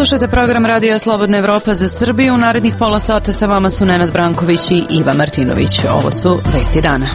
Slušajte program Radija Slobodna Evropa za Srbiju. U narednih pola sata sa vama su Nenad Branković i Iva Martinović. Ovo su vesti dana.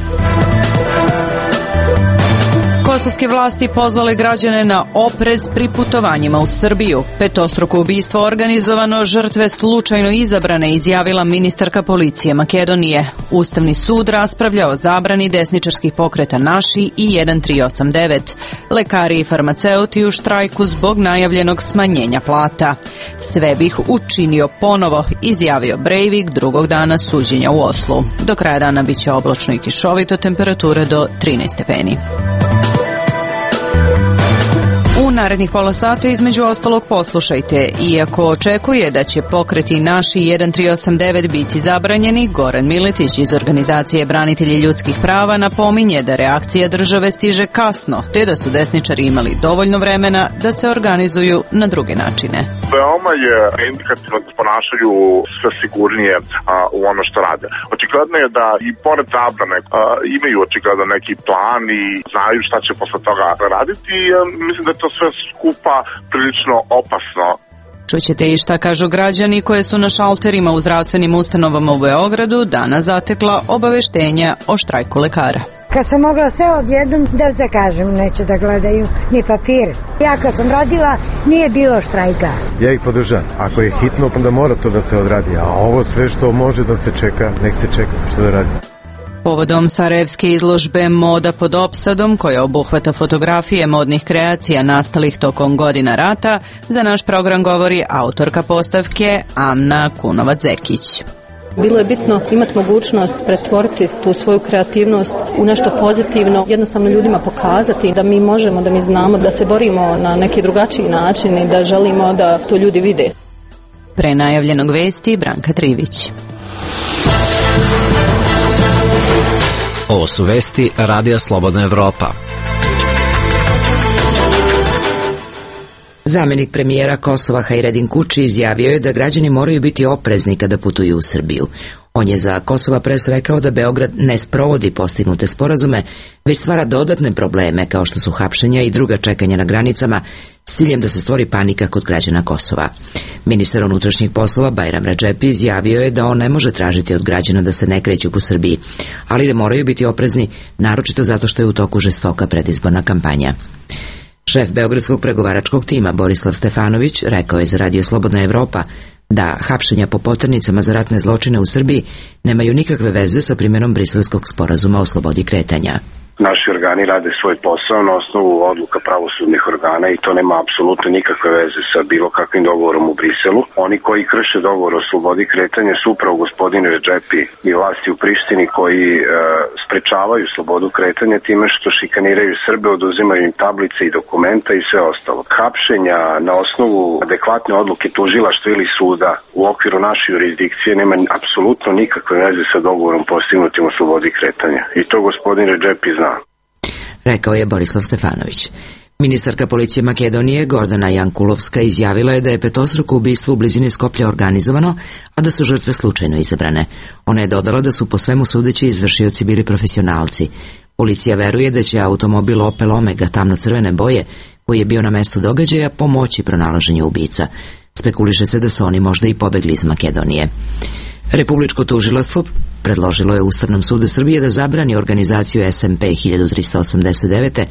Kosovske vlasti pozvale građane na oprez pri putovanjima u Srbiju. Petostruko ubistvo organizovano, žrtve slučajno izabrane, izjavila ministarka policije Makedonije. Ustavni sud raspravlja o zabrani desničarskih pokreta Naši i 1389. Lekari i farmaceuti u štrajku zbog najavljenog smanjenja plata. Sve bih učinio ponovo, izjavio Breivik drugog dana suđenja u Oslu. Do kraja dana biće oblačno i kišovito, temperature do 13 stepeni. U narednih pola sata između ostalog poslušajte. Iako očekuje da će pokreti Naši 1389 biti zabranjeni, Goran Miletić iz organizacije Branitelji ljudskih prava napominje da reakcija države stiže kasno, te da su desničari imali dovoljno vremena da se organizuju na druge načine. Veoma je indikativno da ponašaju sve sigurnije u ono što rade. Očigledno je da i pored zabrane imaju očigledno neki plan i znaju šta će posle toga raditi. Mislim da je to sve skupa prilično opasno. Čućete i šta kažu građani koje su na šalterima u zdravstvenim ustanovama u Beogradu danas zatekla obaveštenja o štrajku lekara. Kad sam mogla sve odjednom da zakažem, neće da gledaju ni papir. Ja kad sam radila, nije bilo štrajka. Ja ih podržam. Ako je hitno, onda mora to da se odradi. A ovo sve što može da se čeka, nek se čeka. Što da radi? Povodom sarajevske izložbe Moda pod opsadom, koja obuhvata fotografije modnih kreacija nastalih tokom godina rata, za naš program govori autorka postavke Amna Kunovac-Zekić. Bilo je bitno imati mogućnost pretvoriti tu svoju kreativnost u nešto pozitivno, jednostavno ljudima pokazati da mi možemo, da mi znamo, da se borimo na neki drugačiji način i da želimo da to ljudi vide. Pre najavljenog vesti Branka Trivić. Ovo su vesti Radija Slobodna Evropa. Zamenik premijera Kosova Hajredin Kuči izjavio je da građani moraju biti oprezni kada putuju u Srbiju. On je za Kosova Pres rekao da Beograd ne sprovodi postignute sporazume, već stvara dodatne probleme kao što su hapšenja i druga čekanja na granicama s ciljem da se stvori panika kod građana Kosova. Ministar unutrašnjih poslova Bajram Redžepi izjavio je da on ne može tražiti od građana da se ne kreću po Srbiji, ali da moraju biti oprezni, naročito zato što je u toku žestoka predizborna kampanja. Šef beogradskog pregovaračkog tima Borislav Stefanović rekao je za Radio Slobodna Evropa da hapšenja po poternicama za ratne zločine u Srbiji nemaju nikakve veze sa primjenom Briselskog sporazuma o slobodi kretanja. Naši organi rade svoj posao na osnovu odluka pravosudnih organa i to nema apsolutno nikakve veze sa bilo kakvim dogovorom u Briselu. Oni koji krše dogovor o slobodi kretanja su upravo gospodin Redžepi i vlasti u Prištini koji sprečavaju slobodu kretanja time što šikaniraju Srbe, oduzimaju im tablice i dokumenta i sve ostalo. Hapšenja na osnovu adekvatne odluke tužilaštva ili suda u okviru naše jurisdikcije nema apsolutno nikakve veze sa dogovorom postignutim o slobodi kretanja. I to gospodin Redžepi zna. Rekao je Borislav Stefanović. Ministarka policije Makedonije Gordana Jankulovska izjavila je da je petostruko ubistvo u blizini Skoplja organizovano, a da su žrtve slučajno izabrane. Ona je dodala da su po svemu sudeći izvršioci bili profesionalci. Policija veruje da će automobil Opel Omega tamno-crvene boje, koji je bio na mestu događaja, pomoći pronalaženju ubica. Spekuliše se da su oni možda i pobegli iz Makedonije. Republičko tužilaštvo predložilo je Ustavnom sudu Srbije da zabrani organizaciju SMP 1389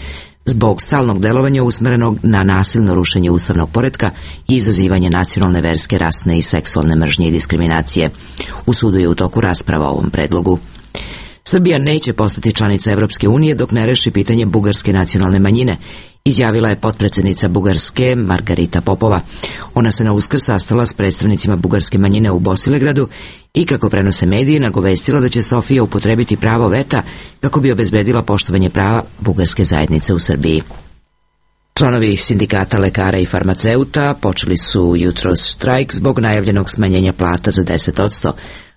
zbog stalnog delovanja usmerenog na nasilno rušenje ustavnog poretka i izazivanje nacionalne, verske, rasne i seksualne mržnje i diskriminacije. U sudu je u toku rasprava o ovom predlogu. Srbija neće postati članica Evropske unije dok ne reši pitanje bugarske nacionalne manjine, izjavila je potpredsjednica Bugarske Margarita Popova. Ona se na Uskrs sastala s predstavnicima bugarske manjine u Bosilegradu i, kako prenose mediji, nagovestila da će Sofija upotrebiti pravo veta kako bi obezbedila poštovanje prava bugarske zajednice u Srbiji. Članovi sindikata lekara i farmaceuta počeli su jutros štrajk zbog najavljenog smanjenja plata za 10%,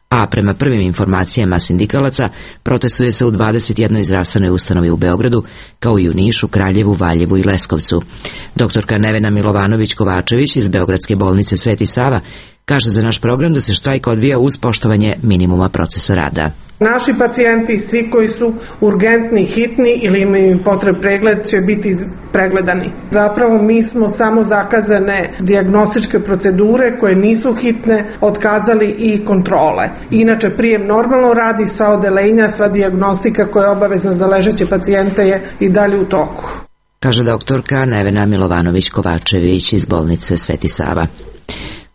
a prema prvim informacijama sindikalaca protestuje se u 21 zdravstvenoj ustanovi u Beogradu, kao i u Nišu, Kraljevu, Valjevu i Leskovcu. Doktorka Nevena Milovanović-Kovačević iz Beogradske bolnice Sveti Sava kaže za naš program da se štrajk odvija uz poštovanje minimuma procesa rada. Naši pacijenti, svi koji su urgentni, hitni ili imaju potreb pregled, će biti pregledani. Zapravo mi smo samo zakazane dijagnostičke procedure koje nisu hitne, otkazali i kontrole. Inače, prijem normalno radi, sva odelenja, sva dijagnostika koja je obavezna za ležeće pacijente je i dalje u toku. Kaže doktorka Nevena Milovanović-Kovačević iz bolnice Sveti Sava.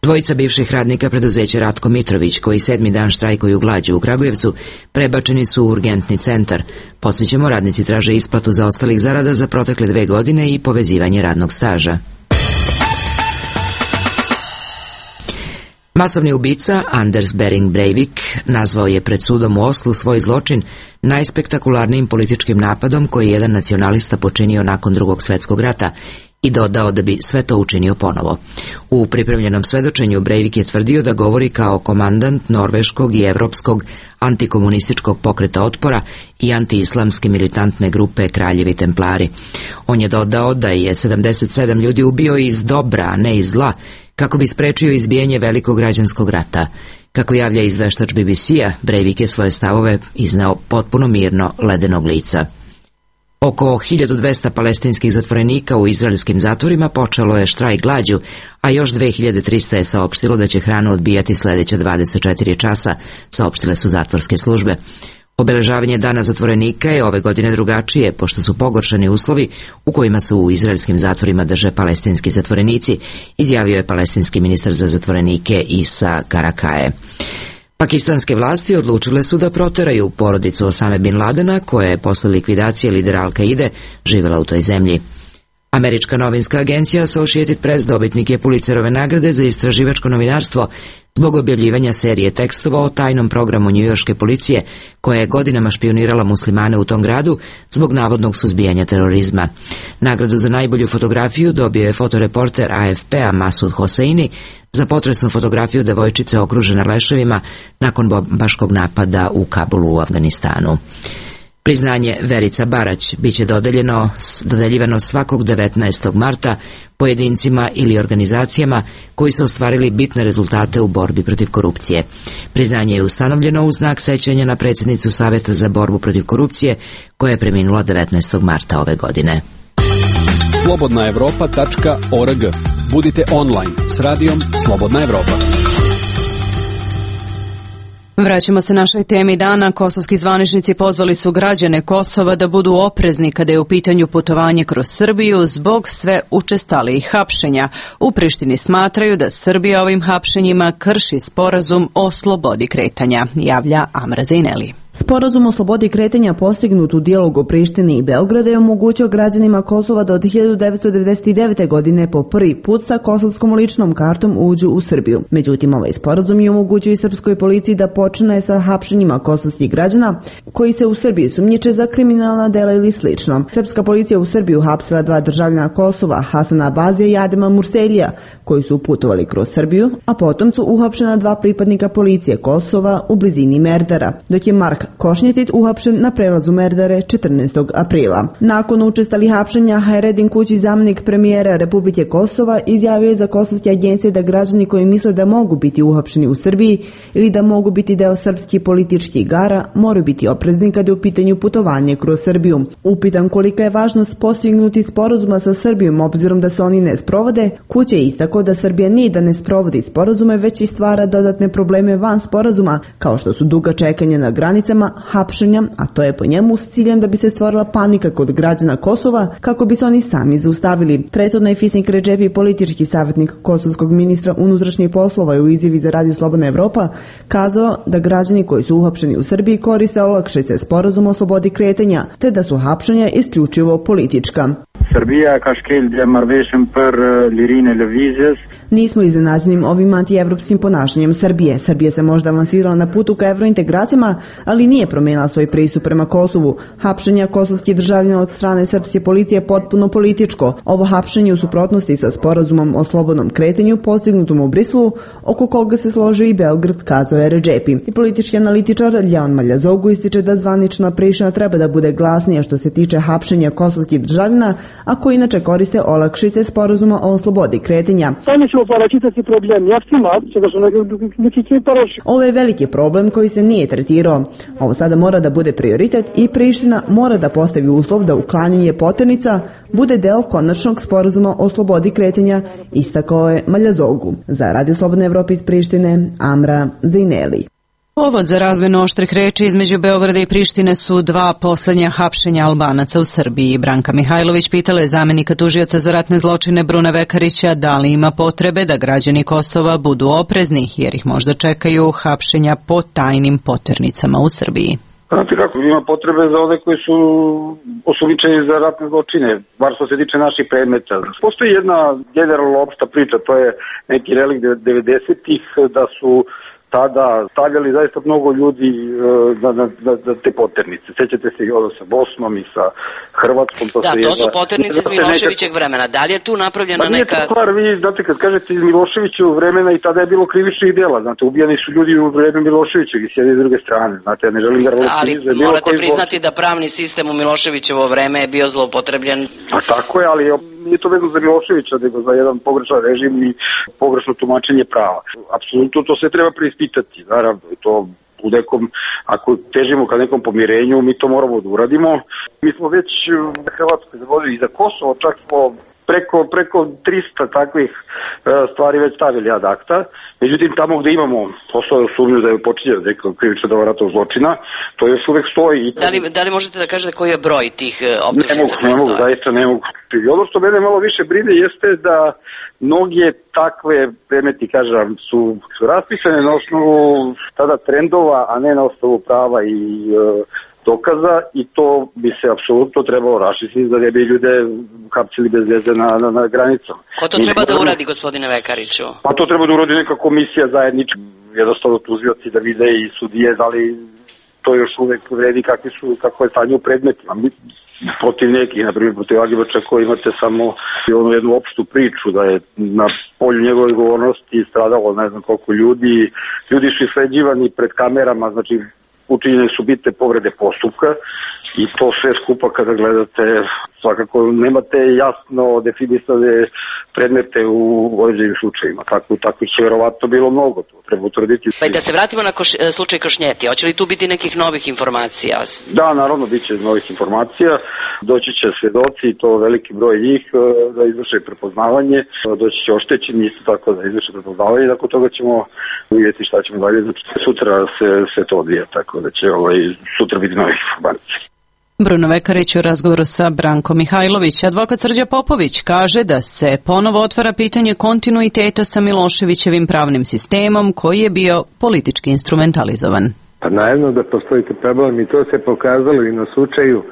Dvojica bivših radnika preduzeća Ratko Mitrović, koji 7. dan štrajkuju glađu u Kragujevcu, prebačeni su u urgentni centar. Podsjećamo, radnici traže isplatu zaostalih zarada za protekle 2 godine i povezivanje radnog staža. Masovni ubica Anders Behring Breivik nazvao je pred sudom u Oslu svoj zločin najspektakularnijim političkim napadom koji je jedan nacionalista počinio nakon Drugog svjetskog rata i dodao da bi sve to učinio ponovo. U pripremljenom svedočenju Breivik je tvrdio da govori kao komandant norveškog i evropskog antikomunističkog pokreta otpora i antiislamske militantne grupe Kraljevi templari. On je dodao da je 77 ljudi ubio iz dobra, a ne iz zla, kako bi sprečio izbijanje velikog građanskog rata. Kako javlja izveštač BBC-a, Breivik je svoje stavove izneo potpuno mirno, ledenog lica. Oko 1200 palestinskih zatvorenika u izraelskim zatvorima počelo je štrajk glađu, a još 2300 je saopštilo da će hranu odbijati sljedeća 24 časa, saopštile su zatvorske službe. Obeležavanje dana zatvorenika je ove godine drugačije, pošto su pogoršani uslovi u kojima su u izraelskim zatvorima drže palestinski zatvorenici, izjavio je palestinski ministar za zatvorenike Isa Karakaje. Pakistanske vlasti odlučile su da proteraju porodicu Osame bin Ladena, koja je posle likvidacije lidera Al-Kaide živjela u toj zemlji. Američka novinska agencija Associated Press dobitnik je Pulitzerove nagrade za istraživačko novinarstvo zbog objavljivanja serije tekstova o tajnom programu njujorške policije koja je godinama špionirala muslimane u tom gradu zbog navodnog suzbijanja terorizma. Nagradu za najbolju fotografiju dobio je fotoreporter AFP-a Masud Hosseini za potresnu fotografiju devojčice okružene leševima nakon bombaškog napada u Kabulu u Afganistanu. Priznanje Verica Barać biće dodeljivano svakog 19. marta pojedincima ili organizacijama koji su ostvarili bitne rezultate u borbi protiv korupcije. Priznanje je ustanovljeno u znak sećanja na predsjednicu Savjeta za borbu protiv korupcije koja je preminula 19. marta ove godine. slobodnaevropa.org. Budite online s radijom Slobodna Evropa. Vraćamo se našoj temi dana. Kosovski zvaničnici pozvali su građane Kosova da budu oprezni kada je u pitanju putovanje kroz Srbiju zbog sve učestalijih hapšenja. U Prištini smatraju da Srbija ovim hapšenjima krši sporazum o slobodi kretanja, javlja Amra Zejneli. Sporazum o slobodi kretanja postignut u dijalogu Prištine i Beograda je omogućio građanima Kosova da od 1999. godine po prvi put sa kosovskom ličnom kartom uđu u Srbiju. Međutim, ovaj sporazum je omogućio i srpskoj policiji da počne sa hapšenjima kosovskih građana koji se u Srbiji sumnjiče za kriminalna dela ili slično. Srpska policija u Srbiju hapsila 2 državljana Kosova, Hasana Abazija i Adema Murselija, koji su putovali kroz Srbiju, a potom su uhapšena 2 pripadnika policije Kosova u blizini Merdara, dok je Mark Košnjetit uhapšen na prelazu Merdare 14. aprila. Nakon učestalih hapšenja, Hayreddin Kući, zamjenik premijera Republike Kosova, izjavio je za kosovske agencije da građani koji misle da mogu biti uhapšeni u Srbiji ili da mogu biti deo srpskih političkih igara moraju biti oprezni kada je u pitanju putovanje kroz Srbiju. Upitan kolika je važnost postignuti sporazuma sa Srbijom obzirom da se oni ne sprovode, Kuća je istakao da Srbija nije da ne sprovodi sporazume, već i stvara dodatne probleme van sporazuma, kao što su duga čekanja na granicama, hapšenja, a to je po njemu s ciljem da bi se stvorila panika kod građana Kosova kako bi se oni sami zaustavili. Prethodno je Fisnik Redžepi, politički savjetnik kosovskog ministra unutrašnjih poslova, u izjavi za Radio Slobodna Evropa kazao da građani koji su uhapšeni u Srbiji koriste olakšice sporazuma o slobodi kretanja, te da su hapšenja isključivo politička. Serbia ka shkel marrëveshjen për lirinë e lëvizjes. Nismo iznenađeni ovim antievropskim ponašanjem Srbije. Srbija se možda avansirala na putu ka evrointegracijama, ali nije promijenila svoj pristup prema Kosovu. Hapšenja kosovskih državljana od strane srpske policije je potpuno političko. Ovo hapšenje u suprotnosti sa sporazumom o slobodnom kretanju postignutom u Briselu, oko koga se složio i Beograd, kazao je Redžepi. I politički analitičar Ljaon Maljazogu ističe da zvanična Priština treba da bude glasnija što se tiče hapšenja kosovskih državljana, a koji inače koriste olakšice sporazuma o slobodi kretanja. Ovo je veliki problem koji se nije tretirao. Ovo sada mora da bude prioritet i Priština mora da postavi uslov da uklanjanje poternica bude deo konačnog sporazuma o slobodi kretanja, istakao je Maljazogu. Za Radio Slobodne Evrope iz Prištine, Amra Zejneli. Povod za razmenu oštrih reči između Beograda i Prištine su dva poslednja hapšenja Albanaca u Srbiji. Branka Mihajlović pitala je zamenika tužioca za ratne zločine Bruna Vekarića da li ima potrebe da građani Kosova budu oprezni, jer ih možda čekaju hapšenja po tajnim poternicama u Srbiji. Znate kako, ima potrebe za one koji su osumnjičeni za ratne zločine, bar što se tiče naših predmeta. Postoji jedna generalno opšta priča, to je neki relikt 90-ih, da su tada stavljali zaista mnogo ljudi za te poternice. Sećate se i ovo sa Bosnom i sa Hrvatskom. To su poternice iz Miloševićeg vremena. Da li je tu napravljena neka... Nije to stvar, vi znate, kad kažete iz Miloševićevog vremena i tada je bilo krivičnih dela. Znate, ubijani su ljudi u vreme Miloševićeg i s jedne i druge strane. Znate, ja ne želim da relativizam. Ali morate priznati da pravni sistem u Miloševićevo vreme je bio zloupotrebljen. A tako je, ali nije to vezano za Miloševića, nego za jedan pogrešan režim i pogrešno tumačenje prava. Apsolutno to sve treba preispitati, naravno, i to u nekom, ako težimo ka nekom pomirenju, mi to moramo da uradimo. Mi smo već na Hrvatskoj zavodili i za Kosovo, čak smo preko 300 takvih stvari već stavili ad acta. Međutim, tamo gde imamo poslove sumnju da je počinjeno nekog krivičnog dela ratnog zločina, to još uvek stoji. Da li možete da kažete koji je broj tih optužnica? Ne mogu, zaista ne mogu. I ono što mene malo više brine jeste da mnoge takve predmeti, kažem, su raspisane na osnovu tada trendova, a ne na osnovu prava i dokaza, i to bi se apsolutno trebalo raščistiti da ne bi ljude hapsili bez veze na granicama. Ko to treba da uradi, gospodine Vekariću? Pa to treba da uradi neka komisija zajednička, jednostavno tužioci da vide i sudije, da li to još uvek vredi, kako je stanje u predmetima. Protiv nekih, na primjer protiv Agibača, koji imate samo jednu opštu priču da je na polju njegove odgovornosti stradalo ne znam koliko ljudi su isleđivani pred kamerama, znači učinjene su bitne povrede postupka i to sve skupa kada gledate, svakako nemate jasno definisane predmete u određenim slučajima. Tako će verovatno bilo mnogo, to treba utvrditi. Pa i da se vratimo na slučaj Košnjeti, hoće li tu biti nekih novih informacija? Da, naravno, bit će novih informacija, doći će svedoci, i to veliki broj njih, da izvrše prepoznavanje, doći će oštećeni isto tako da izvrše prepoznavanje, i nakon toga ćemo vidjeti šta ćemo dalje, znači sutra se to odvija, tako da će sutra biti novih informacija. Bruno Vekarić u razgovoru sa Brankom Mihajlović. Advokat Srđa Popović kaže da se ponovo otvara pitanje kontinuiteta sa Miloševićevim pravnim sistemom koji je bio politički instrumentalizovan. Pa naravno da postoji problem, i to se pokazalo i na slučaju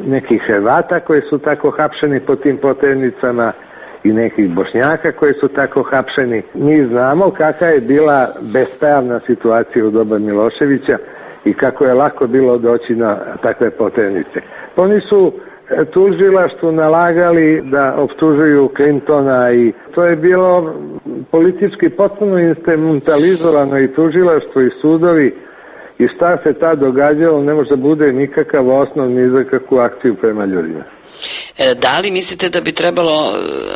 nekih Hrvata koji su tako hapšeni po tim poternicama i nekih Bošnjaka koji su tako hapšeni. Mi znamo kakva je bila bespravna situacija u doba Miloševića i kako je lako bilo doći na takve poternice. Oni su tužilaštvu nalagali da optužuju Clintona i to je bilo politički potpuno instrumentalizovano, i tužilaštvo i sudovi, i šta se tad događalo ne može da bude nikakav osnov ni za kakvu akciju prema ljudima. Da li mislite da bi trebalo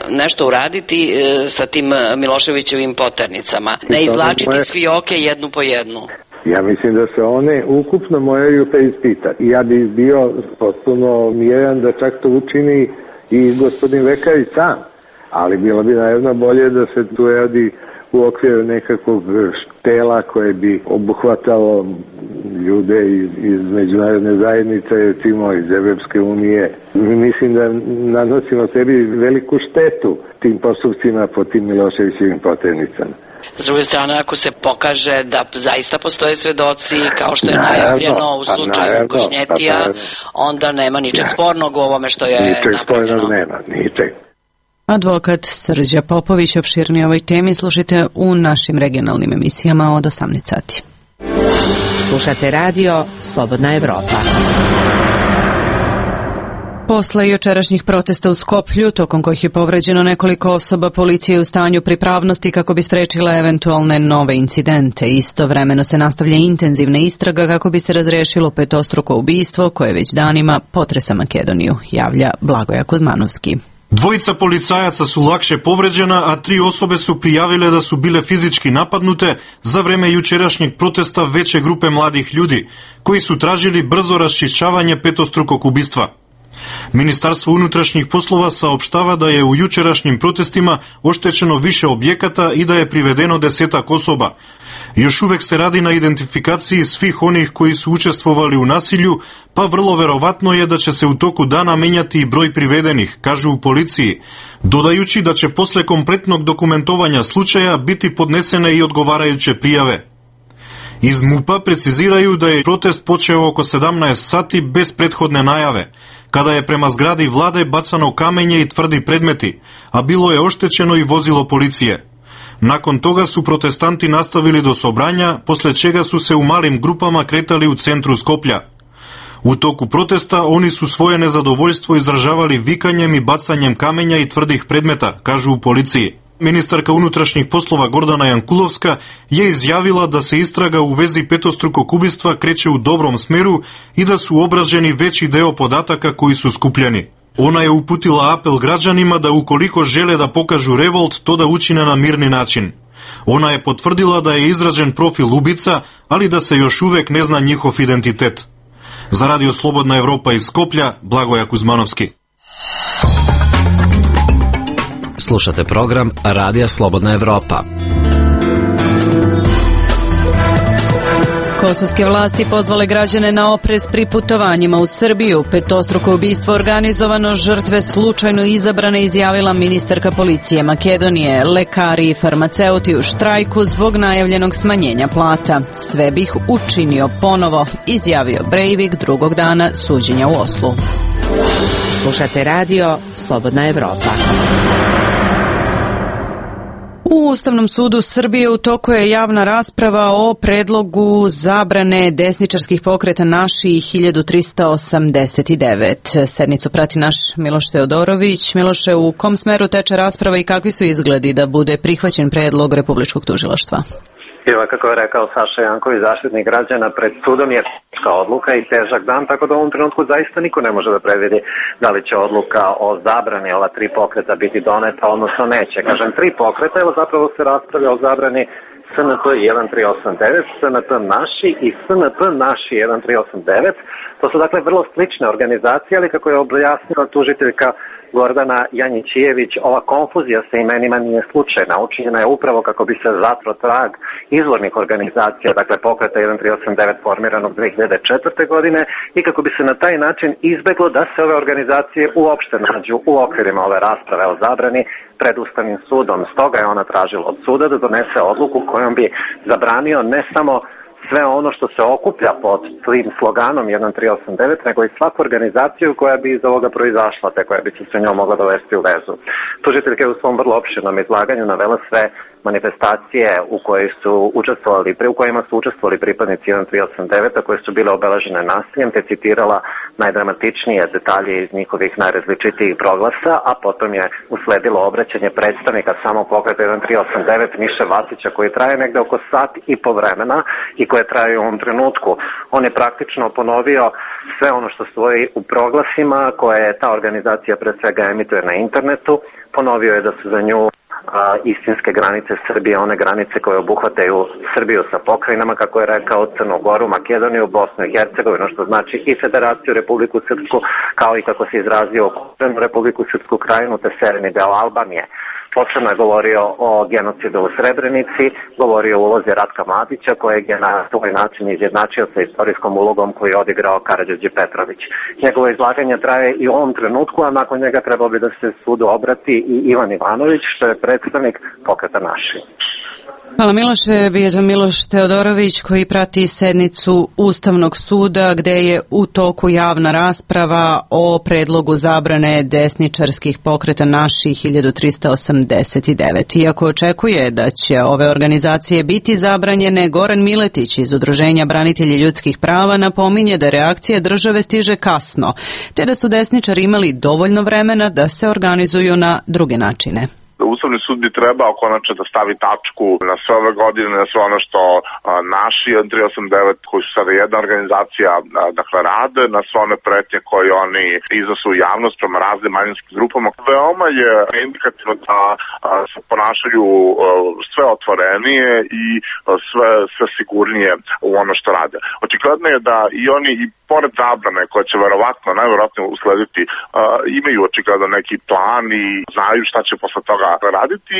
nešto uraditi sa tim Miloševićevim poternicama? Ne izvlačiti s fioke jednu po jednu? Ja mislim da se one ukupno moraju preispitati. Ja bih bio potpuno miran da čak to učini i gospodin Vekarić sam, ali bilo bi naravno bolje da se tu radi u okviru nekakvog tela koje bi obuhvatalo ljude iz međunarodne zajednice, recimo iz Evropske unije. Mislim da nanosimo sebi veliku štetu tim postupcima po tim Miloševićevim poternicama. S druge strane, ako se pokaže da zaista postoje svedoci, kao što je najavljeno u slučaju Košnjetija, onda nema ničeg spornog u ovome što je napravljeno. Ničeg spornog nema, ničeg. Advokat Srđa Popović, opširnije ovoj temi slušajte u našim regionalnim emisijama od 18 sati. Slušate radio Slobodna Evropa. Posle jučerašnjih protesta u Skoplju, tokom kojih je povređeno nekoliko osoba, policija je u stanju pripravnosti kako bi sprečila eventualne nove incidente. Istovremeno se nastavlja intenzivna istraga kako bi se razrešilo petostruko ubistvo koje već danima potresa Makedoniju, javlja Blagoja Kuzmanovski. Dvojica policajaca su lakše povređena, a 3 osobe su prijavile da su bile fizički napadnute za vreme jučerašnjeg protesta veće grupe mladih ljudi, koji su tražili brzo raščišćavanje petostrukog ubistva. Ministarstvo unutrašnjih poslova saopštava da je u jučerašnjim protestima oštećeno više objekata i da je privedeno 10 osoba. Još uvek se radi na identifikaciji svih onih koji su učestvovali u nasilju, pa vrlo verovatno je da će se u toku dana menjati i broj privedenih, kažu u policiji, dodajući da će posle kompletnog dokumentovanja slučaja biti podnesene i odgovarajuće prijave. Iz MUP-a preciziraju da je protest počeo oko 17 sati bez prethodne najave, kada je prema zgradi vlade bacano kamenje i tvrdi predmeti, a bilo je oštećeno i vozilo policije. Nakon toga su protestanti nastavili do Sobranja, posle čega su se u malim grupama kretali u centru Skoplja. U toku protesta oni su svoje nezadovoljstvo izražavali vikanjem i bacanjem kamenja i tvrdih predmeta, kažu u policiji. Ministarka unutrašnjih poslova Gordana Jankulovska je izjavila da se istraga u vezi petostrukog ubistva kreće u dobrom smeru i da su obrađeni veći deo podataka koji su skupljeni. Ona je uputila apel građanima da ukoliko žele da pokažu revolt, to da učine na mirni način. Ona je potvrdila da je izrađen profil ubica, ali da se još uvek ne zna njihov identitet. Za Radio Slobodna Evropa iz Skoplja, Blagoja Kuzmanovski. Slušate program Radija Slobodna Evropa. Kosovske vlasti pozvale građane na oprez pri putovanjima u Srbiju. Petostruko ubistvo organizovano, žrtve slučajno izabrane, izjavila ministarka policije Makedonije. Lekari i farmaceuti u štrajku zbog najavljenog smanjenja plata. Sve bih učinio ponovo, izjavio Breivik drugog dana suđenja u Oslu. Slušate radio Slobodna Evropa. U Ustavnom sudu Srbije u toku je javna rasprava o predlogu zabrane desničarskih pokreta Naši 1389. Sednicu prati naš Miloš Teodorović. Miloše, u kom smeru teče rasprava i kakvi su izgledi da bude prihvaćen predlog Republičkog tužilaštva? Evo, kako je rekao Saša Janković, zaštitnik građana, pred sudom je teška odluka i težak dan, tako da u ovom trenutku zaista niko ne može da predvidi da li će odluka o zabrani ova 3 pokreta biti doneta, odnosno neće. Kažem 3 pokreta, evo zapravo se raspravlja o zabrani SNP 1389, SNP Naši i SNP Naši 1389. To su dakle vrlo slične organizacije, ali kako je objasnila tužiteljka Gordana Janjićijević, ova konfuzija sa imenima nije slučajna. Učinjena je upravo kako bi se zatro trag izvornih organizacija, dakle pokreta 1389 formiranog 2004. godine i kako bi se na taj način izbeglo da se ove organizacije uopšte nađu u okvirima ove rasprave o zabrani pred Ustavnim sudom. Stoga je ona tražila od suda da donese odluku kojom bi zabranio ne samo sve ono što se okuplja pod tim sloganom 1389, nego i svaku organizaciju koja bi iz ovoga proizašla, te koja bi se sa njom mogla dovesti u vezu. Tužiteljka je u svom vrlo opširnom izlaganju navela sve manifestacije u kojima su učestvovali pripadnici 1389, koje su bile obeležene nasiljem, te citirala najdramatičnije detalje iz njihovih najrazličitijih proglasa, a potom je usledilo obraćanje predstavnika samog pokreta 1389 Miše Vacića, koji traje negde oko sat i po vremena i koje traje u ovom trenutku. On je praktično ponovio sve ono što stoji u proglasima koje je ta organizacija pred svega emituje na internetu. Ponovio je da su za nju istinske granice Srbije, one granice koje obuhvataju Srbiju sa pokrajinama, kako je rekao, Crnu Goru, Makedoniju, Bosnu i Hercegovinu, što znači i Federaciju, Republiku Srpsku, kao i kako se izrazio Republiku Srpsku krajinu, te severni deo Albanije. Posebno je govorio o genocidu u Srebrenici, govorio o ulozi Ratka Mladića, kojeg je na svoj način izjednačio sa istorijskom ulogom koju je odigrao Karađorđe Petrović. Njegovo izlaganje traje i u ovom trenutku, a nakon njega trebalo bi da se sudu obrati i Ivan Ivanović, što je predstavnik pokreta Naši. Hvala Miloše. Bio Miloš Teodorović koji prati sednicu Ustavnog suda gde je u toku javna rasprava o predlogu zabrane desničarskih pokreta Naši 1389. Iako očekuje da će ove organizacije biti zabranjene, Goran Miletić iz Udruženja Branitelji ljudskih prava napominje da reakcija države stiže kasno, te da su desničari imali dovoljno vremena da se organizuju na druge načine. Ustavni sud bi trebao konačno da stavi tačku na sve ove godine, na sve ono što naši 389, koji su sada jedna organizacija, dakle rade, na sve one pretnje koje oni iznose u javnost prema raznim manjinskim grupama. Veoma je indikativno da se ponašaju sve otvorenije i sve sigurnije u ono što rade. Očigledno je da i oni i pored zabrane koje će najverovatnije uslediti, imaju očigledno neki plan i znaju šta će posle toga raditi.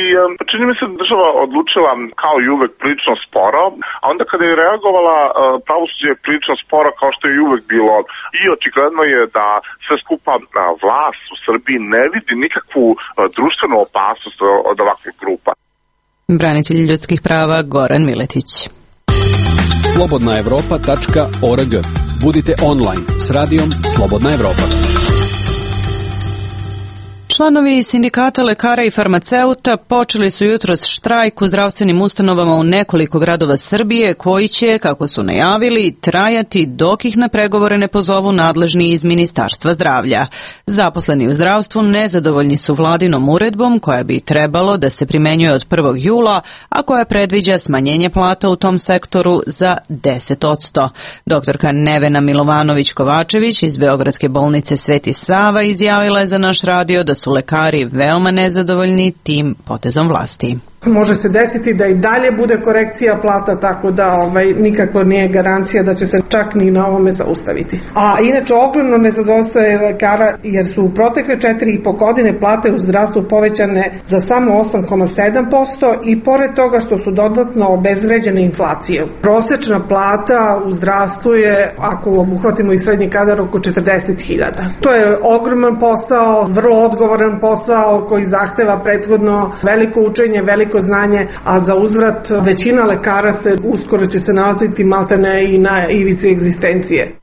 Čini mi se da država odlučila kao i uvek prilično sporo, a onda kada je reagovala pravosuđe je prilično sporo kao što je i uvek bilo i očigledno je da sve skupa vlast u Srbiji ne vidi nikakvu društvenu opasnost od ovakvih grupa. Branitelj ljudskih prava Goran Miletić. Slobodnaevropa.org. Budite online s radijom Slobodna Evropa. Članovi sindikata lekara i farmaceuta počeli su jutros štrajk u zdravstvenim ustanovama u nekoliko gradova Srbije koji će, kako su najavili, trajati dok ih na pregovore ne pozovu nadležni iz Ministarstva zdravlja. Zaposleni u zdravstvu nezadovoljni su vladinom uredbom koja bi trebalo da se primenjuje od 1. jula, a koja predviđa smanjenje plata u tom sektoru za 10%. Doktorka Nevena Milovanović-Kovačević iz Beogradske bolnice Sveti Sava izjavila je za naš radio da su lekari veoma nezadovoljni tim potezom vlasti. Može se desiti da i dalje bude korekcija plata, tako da nikako nije garancija da će se čak ni na ovome zaustaviti. A inače ogromno nezadovoljstvo je lekara jer su u protekle 4,5 godine plate u zdravstvu povećane za samo 8,7% i pored toga što su dodatno obezvređene inflacijom. Prosečna plata u zdravstvu je, ako obuhvatimo i srednji kadar, oko 40.000. To je ogroman posao, vrlo odgovoran posao koji zahteva prethodno veliko učenje, veliko znanje, a za uzvrat većina lekara uskoro će se nalaziti maltene i na ivici egzistencije.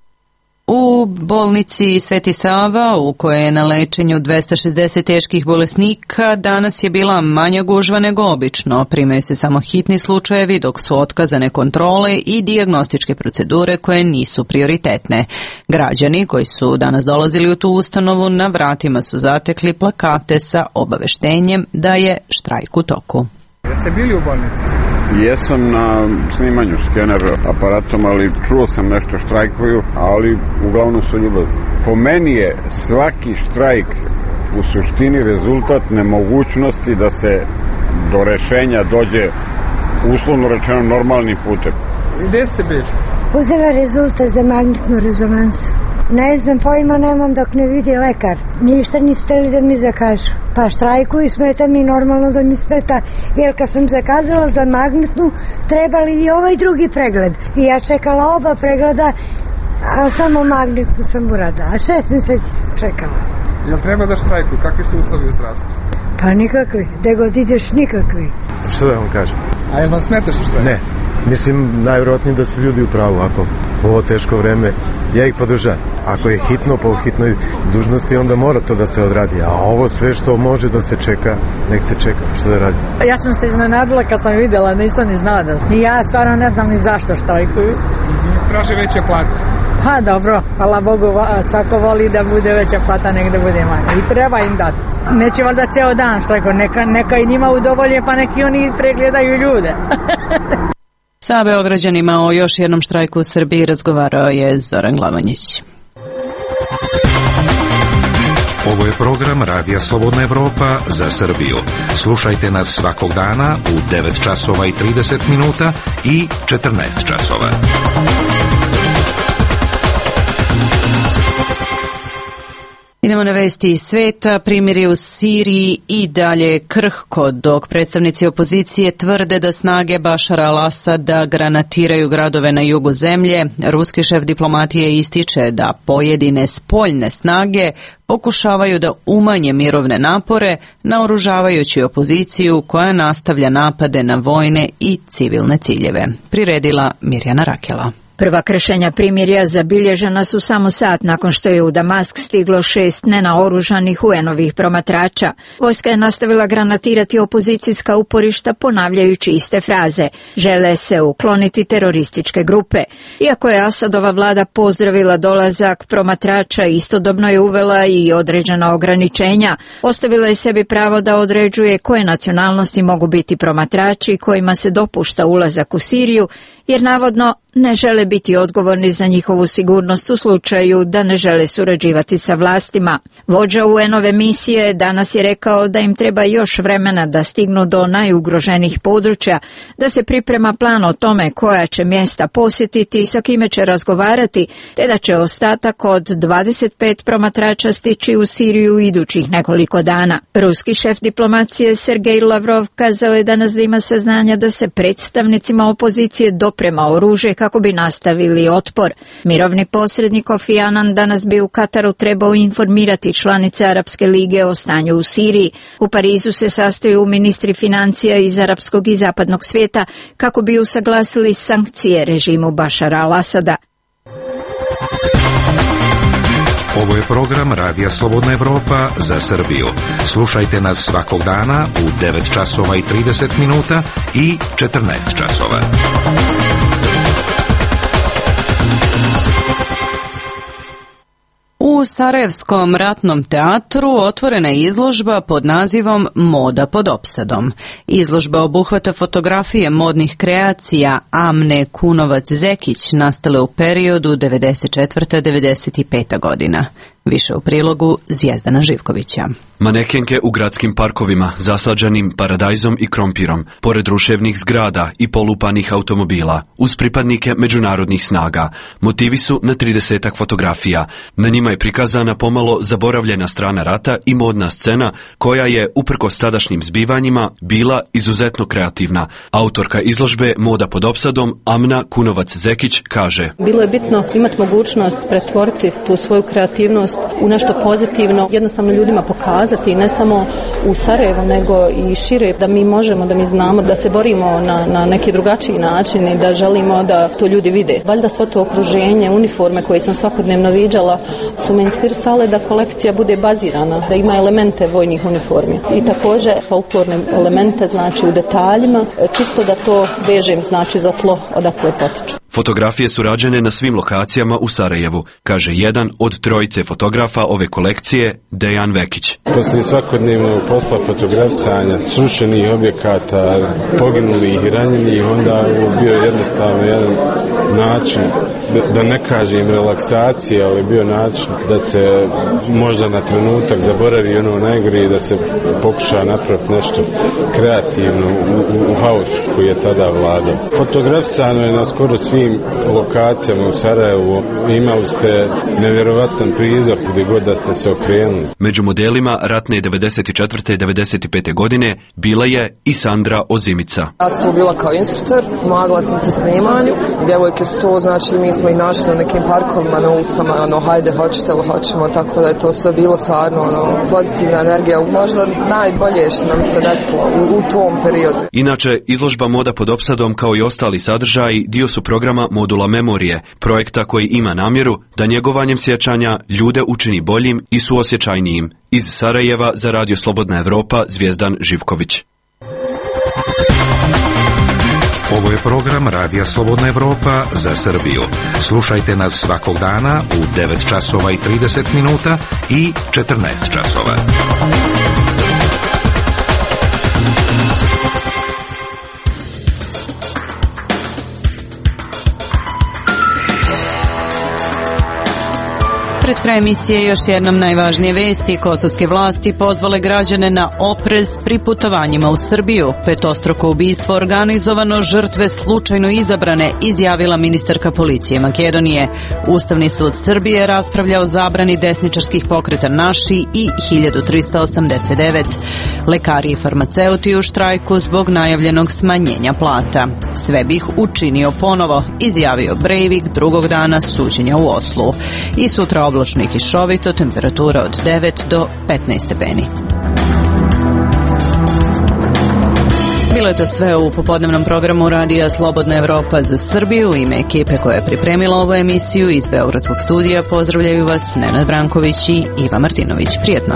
U bolnici Sveti Sava, u kojoj je na lečenju 260 teških bolesnika, danas je bila manja gužva nego obično. Primaju se samo hitni slučajevi, dok su otkazane kontrole i dijagnostičke procedure koje nisu prioritetne. Građani koji su danas dolazili u tu ustanovu na vratima su zatekli plakate sa obaveštenjem da je štrajk u toku. Jeste bili u bolnici? Jesam na snimanju skener aparatom, ali čuo sam nešto štrajkuju, ali uglavnom su ljubazni. Po meni je svaki štrajk u suštini rezultat nemogućnosti da se do rešenja dođe uslovno rečeno normalnim putem. Gde ste bili? Uzela rezultat za magnetnu rezonansu. Ne znam, pojma nemam dok ne vidi lekar. Ništa nisu hteli da mi zakažu. Pa štrajkuju, smeta mi normalno da mi smeta. Jer kad sam zakazala za magnetnu, trebali i ovaj drugi pregled. I ja čekala oba pregleda, a samo magnetnu sam uradila. A 6 meseci sam čekala. Jel treba da štrajkuju? Kakvi su uslovi u zdravstvu? Pa nikakvi. Gde god ideš, nikakvi. Što da vam kažem? A jel vam smeta što štrajkuju? Ne. Mislim, najvjerojatnije da su ljudi u pravu. Ako ovo teško vreme, ja ih podržavam. Ako je hitno po hitnoj dužnosti, onda mora to da se odradi. A ovo sve što može da se čeka, nek se čeka. Što da radi? Ja sam se iznenadila kad sam vidjela, nisam ni znala da. I ja stvarno ne znam ni zašto štrajkuju. Traže veće plate. Pa dobro, hvala Bogu, svako voli da bude veća plata, nek da bude manja. I treba im dati. Neće valjda ceo dan štrajkuju, neka i njima udovolje, pa neki oni pregledaju ljude. Sa Beograđanima o još jednom štrajku u Srbiji razgovarao je Zoran Glavanjić. Ovo je program Radija Slobodna Evropa za Srbiju. Slušajte nas svakog dana u 9 časova i 30 minuta i 14 časova. Idemo na vesti iz sveta. Primirje u Siriji i dalje krhko, dok predstavnici opozicije tvrde da snage Bašara al-Asada granatiraju gradove na jugu zemlje. Ruski šef diplomatije ističe da pojedine spoljne snage pokušavaju da umanje mirovne napore, naoružavajući opoziciju koja nastavlja napade na vojne i civilne ciljeve. Priredila Mirjana Rakela. Prva kršenja primirja zabilježena su samo sat nakon što je u Damask stiglo 6 nenaoružanih UN-ovih promatrača. Vojska je nastavila granatirati opozicijska uporišta ponavljajući iste fraze. Žele se ukloniti terorističke grupe. Iako je Asadova vlada pozdravila dolazak promatrača, istodobno je uvela i određena ograničenja. Ostavila je sebi pravo da određuje koje nacionalnosti mogu biti promatrači kojima se dopušta ulazak u Siriju, jer navodno ne žele biti odgovorni za njihovu sigurnost u slučaju da ne žele surađivati sa vlastima. Vođa UN-ove misije danas je rekao da im treba još vremena da stignu do najugroženijih područja, da se priprema plan o tome koja će mjesta posjetiti i sa kime će razgovarati, te da će ostatak od 25 promatrača stići u Siriju idućih nekoliko dana. Ruski šef diplomacije Sergej Lavrov kazao je danas da ima saznanja da se predstavnicima opozicije doprema oružje kako bi nastavili otpor. Mirovni posrednik Kofi Annan danas bi u Kataru trebao informirati članice Arapske lige o stanju u Siriji. U Parizu se sastaju ministri financija iz arapskog i zapadnog svijeta kako bi usaglasili sankcije režimu Bašara al-Asada. Ovo je program Radija Slobodna Evropa za Srbiju. Slušajte nas svakog dana u 9 časova i 30 minuta i 14 časova. U Sarajevskom ratnom teatru otvorena je izložba pod nazivom Moda pod opsadom. Izložba obuhvata fotografije modnih kreacija Amne Kunovac-Zekić nastale u periodu 94-95. godina. Više u prilogu Zvijezdana Živkovića. Manekenke u gradskim parkovima, zasađenim paradajzom i krompirom, pored ruševnih zgrada i polupanih automobila, uz pripadnike međunarodnih snaga. Motivi su na 30 fotografija. Na njima je prikazana pomalo zaboravljena strana rata i modna scena, koja je, uprkos tadašnjim zbivanjima, bila izuzetno kreativna. Autorka izložbe Moda pod opsadom, Amna Kunovac-Zekić, kaže: Bilo je bitno imati mogućnost pretvoriti tu svoju kreativnost u nešto pozitivno, jednostavno ljudima pokazati, ne samo u Sarajevu, nego i šire, da mi možemo, da mi znamo, da se borimo na neki drugačiji način i da želimo da to ljudi vide. Valjda svo to okruženje, uniforme koje sam svakodnevno viđala su me inspirisale da kolekcija bude bazirana, da ima elemente vojnih uniformi. I također folklorne elemente, znači u detaljima, čisto da to vežem, znači za tlo odakle potiču. Fotografije su rađene na svim lokacijama u Sarajevu, kaže jedan od trojice fotografa ove kolekcije, Dejan Vekić. Poslije svakodnevnog posla fotografisanja srušenih objekata, poginulih i ranjenih, onda je bio jednostavno jedan način, da ne kažem relaksacije, ali bio način da se možda na trenutak zaboravi ono najgore i da se pokuša napraviti nešto kreativno u haosu koji je tada vladao. Fotografisano je na skoro svim lokacijama u Sarajevu. Imali ste nevjerovatan prizor gdje god da ste se okrenuli. Među modelima ratne 94. i 95. godine bila je i Sandra Ozimica. Ja sam tu bila kao instruktor, pomagala sam pri snimanju. Djevojke su to, znači mi smo ih našli u nekim parkovima, na ulicama, hajde, hoćete li hoćemo, tako da je to sve bilo stvarno pozitivna energija. Možda najbolje što nam se desilo u tom periodu. Inače, izložba Moda pod opsadom kao i ostali sadržaji dio su programa Modula Memorije, projekta koji ima namjeru da njegovanjem sjećanja ljude učini boljim i suosjećajnijim. Iz Sarajeva za Radio Slobodna Evropa, Zvijezdan Živković. Ovo je program Radija Slobodna Evropa za Srbiju. Slušajte nas svakog dana u 9 časova i 30 minuta i 14 časova. Pred kraj emisije još jednom najvažnije vesti. Kosovske vlasti pozvale građane na oprez pri putovanjima u Srbiju. Petostruko ubistvo organizovano, žrtve slučajno izabrane, izjavila ministarka policije Makedonije. Ustavni sud Srbije raspravlja o zabrani desničarskih pokreta Naši i 1389. Lekari i farmaceuti u štrajku zbog najavljenog smanjenja plata. Sve bih učinio ponovo, izjavio Breivik drugog dana suđenja u Oslu. I sutra oblačno i kišovito, temperatura od 9 do 15 stepeni. Bilo je to sve u popodnevnom programu Radija Slobodna Evropa za Srbiju. U ime ekipe koja je pripremila ovu emisiju iz Beogradskog studija pozdravljaju vas Nenad Branković i Iva Martinović. Prijetno!